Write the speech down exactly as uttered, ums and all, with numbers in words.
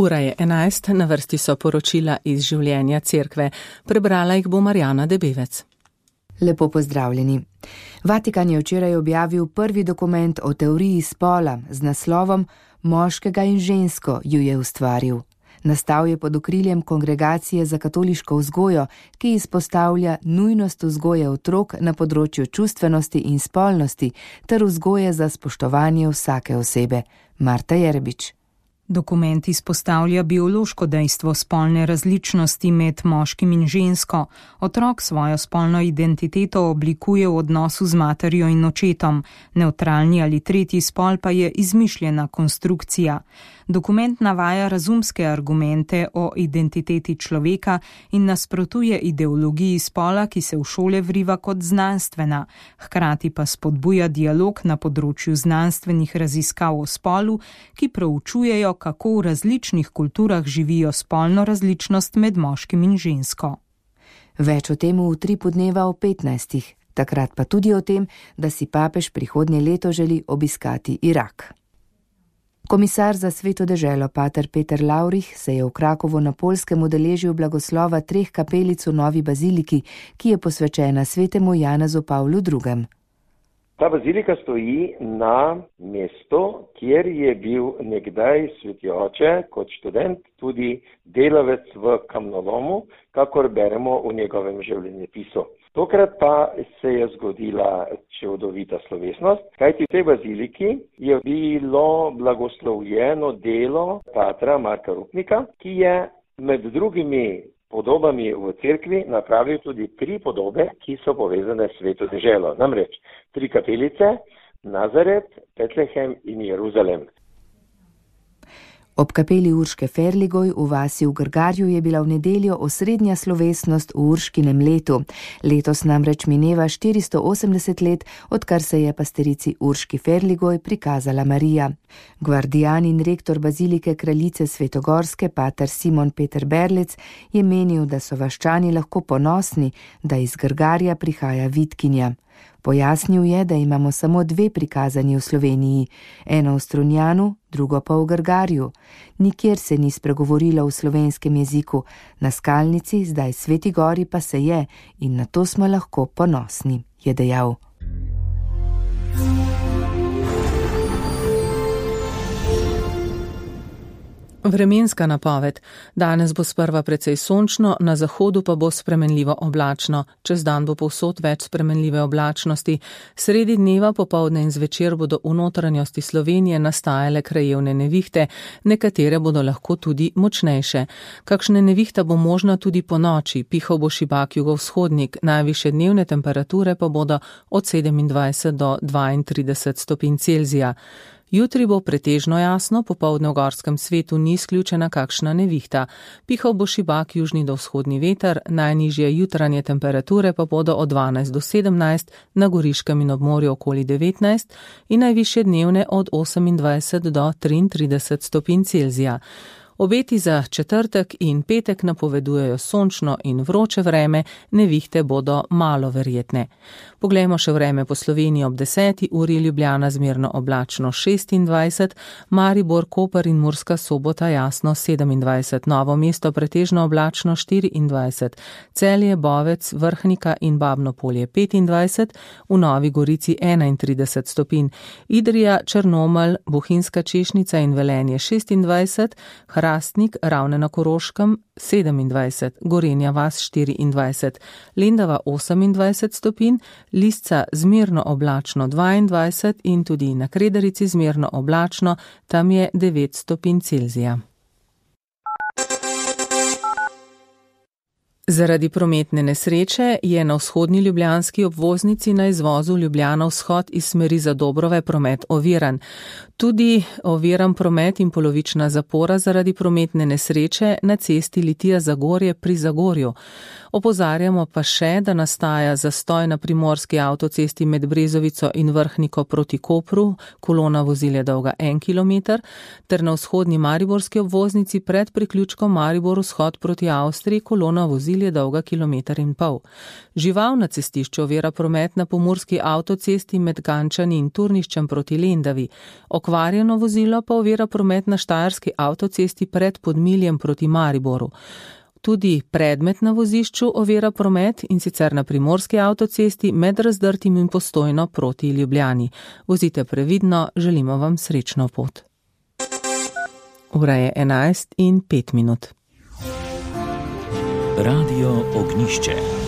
Ura je enajst, na vrsti so poročila iz življenja cerkve. Prebrala jih bo Marjana Debevec. Lepo pozdravljeni. Vatikan je včeraj objavil prvi dokument o teoriji spola z naslovom Moškega in žensko ju je ustvaril. Nastal je pod okriljem Kongregacije za katoliško vzgojo, ki izpostavlja nujnost vzgoje otrok na področju čustvenosti in spolnosti ter vzgoje za spoštovanje vsake osebe. Marta Jerebič. Dokument izpostavlja biološko dejstvo spolne različnosti med moškim in žensko. Otrok svojo spolno identiteto oblikuje v odnosu z materjo in očetom. Nevtralni ali tretji spol pa je izmišljena konstrukcija. Dokument navaja razumske argumente o identiteti človeka in nasprotuje ideologiji spola, ki se v šole vriva kot znanstvena. Hkrati pa spodbuja dialog na področju znanstvenih raziskav o spolu, ki proučujejo, kako v različnih kulturah živijo spolno različnost med moškim in žensko. Več o tem v utripu dneva o petnajstih, takrat pa tudi o tem, da si papež prihodnje leto želi obiskati Irak. Komisar za Sveto deželo pater Peter Lavrih se je v Krakovu na Poljskem udeležil blagoslova treh kapelic v novi baziliki, ki je posvečena svetemu Janezu Pavlu drugem. Ta bazilika stoji na mestu, kjer je bil nekdaj sveti oče kot študent tudi delavec v kamnolomu, kakor beremo v njegovem življenjepisu. Tokrat pa se je zgodila čudovita slovesnost, kajti v tej baziliki je bilo blagoslovljeno delo patra Marka Rupnika, ki je med drugimi podobami v cerkvi napravil tudi tri podobe, ki so povezane s Sveto deželo. Namreč tri kapelice, Nazaret, Betlehem in Jeruzalem. Ob kapeli Urške Ferligoj v vasi v Grgarju je bila v nedeljo osrednja slovesnost v Urškinem letu. Letos namreč mineva štiristo osemdeset let, odkar se je pasterici Urški Ferligoj prikazala Marija. Gvardijan in rektor bazilike kraljice Svetogorske, pater Simon Peter Berlec, je menil, da so vaščani lahko ponosni, da iz Grgarja prihaja vitkinja. Pojasnil je, da imamo samo dve prikazani v Sloveniji, eno v Strunjanu, drugo pa v Grgarju. Nikjer se ni spregovorilo v slovenskem jeziku, na Skalnici, zdaj Sveti Gori pa se je in na to smo lahko ponosni, je dejal. Vremenska napoved. Danes bo sprva precej sončno, na zahodu pa bo spremenljivo oblačno. Čez dan bo povsod več spremenljive oblačnosti. Sredi dneva, popoldne in zvečer bodo v notranjosti Slovenije nastajale krajevne nevihte, nekatere bodo lahko tudi močnejše. Kakšne nevihta bo možna tudi po noči, pihal bo šibak jugovzhodnik, najvišje dnevne temperature pa bodo od sedemindvajset do dvaintrideset stopinj Celzija. Jutri bo pretežno jasno, popoldne v gorskem svetu ni izključena kakšna nevihta. Pihal bo šibak južni do vzhodni veter, najnižje jutranje temperature pa bodo od dvanajst do sedemnajst, na Goriškem in ob morju okoli devetnajst in najvišje dnevne od osemindvajset do triintrideset stopinj Celzija. Obeti za četrtek in petek napovedujejo sončno in vroče vreme, nevihte bodo malo verjetne. Poglejmo še vreme po Sloveniji ob deseti uri, Ljubljana zmerno oblačno šestindvajset, Maribor, Koper in Murska Sobota jasno sedemindvajset, Novo mesto pretežno oblačno štiriindvajset, Celje, Bovec, Vrhnika in Babno Polje petindvajset, v Novi Gorici enaintrideset stopinj, Idrija, Črnomelj, Bohinjska Češnica in Velenje šestindvajset, Hrastnik, Ravne na Koroškem sedemindvajset, Gorenja vas štiriindvajset, Lendava osemindvajset stopinj, Lisca zmerno oblačno dvaindvajset in tudi na Kredarici zmerno oblačno, tam je devet stopinj Celzija. Zaradi prometne nesreče je na vzhodni ljubljanski obvoznici na izvozu Ljubljana vzhod iz smeri Zadobrove promet oviran. Tudi oviran promet in polovična zapora zaradi prometne nesreče na cesti Litija-Zagorje pri Zagorju. Opozarjamo pa še, da nastaja zastoj na primorski avtocesti med Brezovico in Vrhniko proti Kopru, kolona vozil je dolga en kilometer, ter na vzhodni mariborski obvoznici pred priključkom Maribor vzhod proti Avstriji, kolona vozil je dolga kilometer in pol. Žival na cestišču ovira promet na pomurski avtocesti med Gančani in Turniščem proti Lendavi. Pokvarjeno vozilo pa ovira promet na štajerski avtocesti pred Podmiljem proti Mariboru. Tudi predmet na vozišču ovira promet, in sicer na primorski avtocesti med Razdrtim in Postojno proti Ljubljani. Vozite previdno, želimo vam srečno pot. Ura je enajst in pet minut. Radio Ognjišče.